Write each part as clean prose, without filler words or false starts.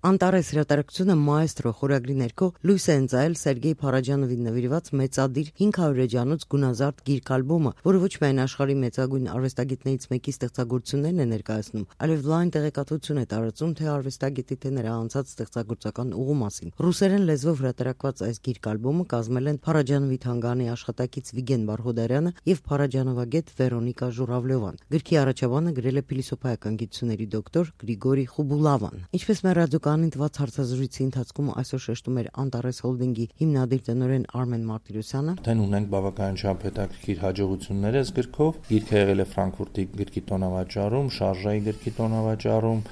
Անտարես հրատարակությունը «Մաեստրո» խորագրի ներքո լույս է ընծայել Սերգեյ Փարաջանովին նվիրված մեծադիր 500 էջանոց գունազարդ գիրք-ալբոմը, որը ոչ միայն աշխարհի մեծագույն արվեստագետներից մեկի ստեղծագործություններն է ներկայացնում, այլև լայն տեղեկատվություն է տարածում թե արվեստագետի, թե նրա անցած ստեղծագործական ուղու մասին։ Ռուսերեն լեզվով հրատարակված այս գիրք-ալբոմը կազմել են Փարաջանովի թանգարանի աշխատակից Վիգեն Բարխոդարյանը եւ փարաջանովագետ Վերոնիկա Ժուռավլյովան։ Գրքի առաջաբանը գրել է փիլիսոփայական գիտությունների դոկտոր Գրիգորի Խուբուլավան։ Ինչպես մեր ռադիոկայանին տված հարցազրույցի ընթացքում այսօր շեշտում էր Անտարես հոլդինգի հիմնադիր տնօրեն Արմեն Մարտիրոսյանը, Դեն ունենք բավականին շատ հետաքրքիր հաջողություններ այս գրքով։ Գիրքը եղել է Ֆրանկֆուրտի գրքի տոնավաճառում, Շարժայի գրքի տոնավաճառում,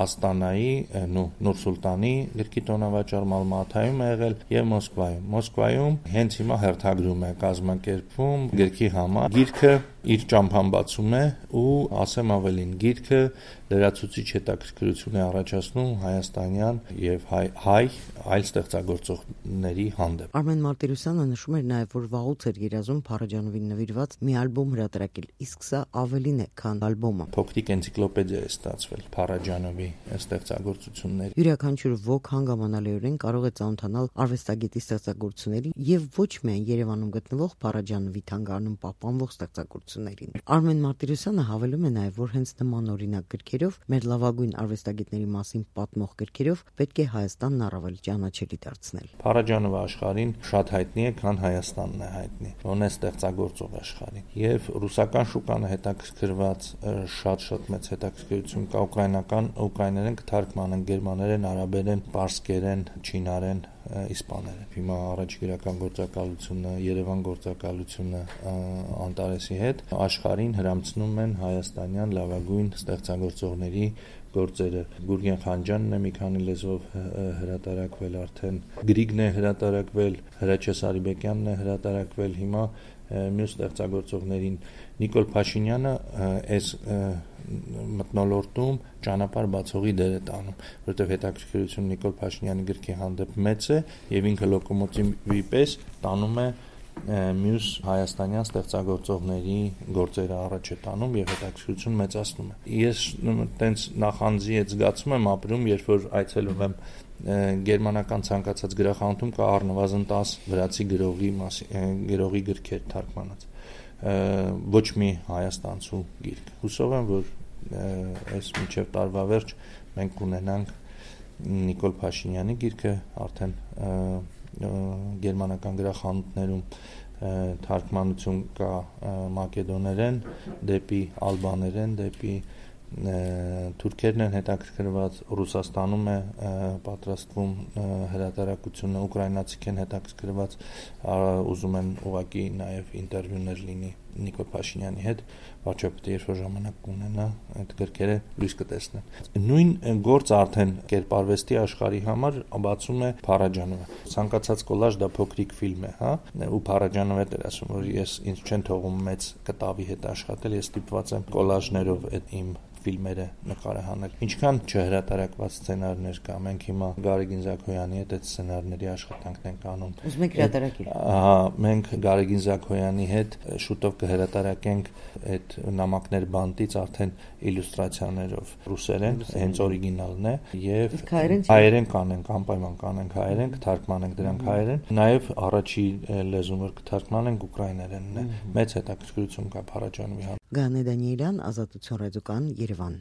Աստանայի, Նուր Սուլտանի գրքի տոնավաճառում, Ալմատայում է եղել եւ Մոսկվայում։ Մոսկվայում հենց հիմա հերթագրում է կազմակերպվում գրքի համար։ Գիրքը իր ճամփան բացում է ու ասեմ ավելին, գիրքը լրացուցիչ հետաքրքրություն է առաջացնում հայաստանյան եւ հայ այլ ստեղծագործողների հանդեպ։ Արմեն Մարտիրոսյանը նշում էր նաեւ, որ վաղուց էր երազում Փարաջանովին նվիրված մի ալբոմ հրատարակել, իսկ սա ավելին է, քան ալբոմը։ Փոքրիկ էնցիկլոպեդիա է ստացվել Փարաջանովի ստեղծագործությունների։ Յուրաքանչյուր ոք հանգամանալիորեն կարող է ծանոթանալ արվեստագետի ստեղծագործությունների եւ ոչ միայն Երևանում գտնվող Փարաջանովի թանգարանում պահպանվող ստեղծագործություններին։ Արմեն Մարտիրոսյանը հավելում է նաեւ, որ հենց նման օրինակ գրքերով, մեր լավագույն արվեստագետների մասին պատմող գրքերով պետք է Հայաստանն առավել ճանաչելի դարձնել։ Փարաջանովը աշխարհին շատ հայտնի է, քան Հայաստանն է հայտնի։ Ոնց է ստեղծագործող աշխարհին։ Եվ ռուսական շուկան հետաքրքրված շատ մեծ հետաքրքրություն կա ուկրաիներեն կթարգմանեն, գերմաներեն, արաբերեն, պարսկերեն, չինարեն, իսպաներեն։ Հիմա առաջ գրական գործակալությունը, Երևան գործակալությունը Անտարեսի հետ աշխարհին հրամցնում են հայաստանյան լավագույն ստեղծագործողների գործերը։ Գուրգեն Խանջյանն է մի քանի լեզվով հրատարակվել արդեն, Գրիգն է հրատարակվել, Հրաչյա Սարիբեկյանն է հրատարակվել, հիմա մյուս ստեղծագործողներին Նիկոլ Փաշինյանը այս մթնոլորտում ճանապարհ բացողի դեր է տանում, որովհետև հետաքրքրությունը Նիկոլ Փաշինյանի գրքի հանդեպ մեծ է եւ ինքը լոկոմոտիվի պես տանում է մյուս հայաստանյան ստեղծագործողների գործերը առաջ է տանում եւ հետաքրքրություն մեծացնում է։ Ես տենց նախանձի հետ զգացում եմ ապրում, երբ որ այցելում եմ գերմանական ցանկացած գրախանութում կա առնվազն 10 վրացի գրողի գրքեր թարգմանած։ Ոչ մի հայաստանցու գիրք։ Հուսով եմ, որ այս մինչև տարվա վերջ մենք կունենանք Նիկոլ Փաշինյանի գիրքը արդեն գերմանական գրախանութներում թարգմանություն կա մակեդոներեն, դեպի ալբաներեն, դեպի թուրքերն են հետաքրքրված, Ռուսաստանում է պատրաստվում հրատարակությունը, ուկրաինացիք են հետաքրքրված, ուզում են ուղղակի նաև ինտերվյուներ լինի Նիկոլ Փաշինյանի հետ, վարչապետը երբ որ ժամանակ կունենա, այդ գրքերը լույս կտեսնեն։ Նույն գործը արդեն կերպարվեստի աշխարհի համար բացում է Փարաջանովը։ Ցանկացած կոլաժ դա փոքրիկ ֆիլմ է, հա, ու Փարաջանովը էր ասում, որ ես ինձ չեն թողում մեծ կտավի հետ աշխատել, ես ստիպված եմ կոլաժներով այդ իմ ֆիլմերը նկարահանել։ Ինչքան չհրատարակված սցենարներ կա, մենք հիմա Գարեգին Զաքոյանի հետ այդ սցենարների աշխատանքն ենք անում։ Ուզում եք հրատարակել։ Ահա, մենք Գարեգին Զաքոյանի հետ շուտով կհրատարակենք այդ նամակներ բանտից արդեն իլյուստրացիաներով ռուսերեն, հենց օրիգինալն է, եւ հայերեն կանենք, անպայման կանենք հայերեն, կթարգմանենք դրանք հայերեն, նաեւ առաջի լեզուն որ կթարգմանենք ուկրաիներենն է։ Մեծ հետաքրքրություն կա Փարաջանովի համար։ Գանե Դանիելյան, Ազատություն ռադիոկայան, Երևան։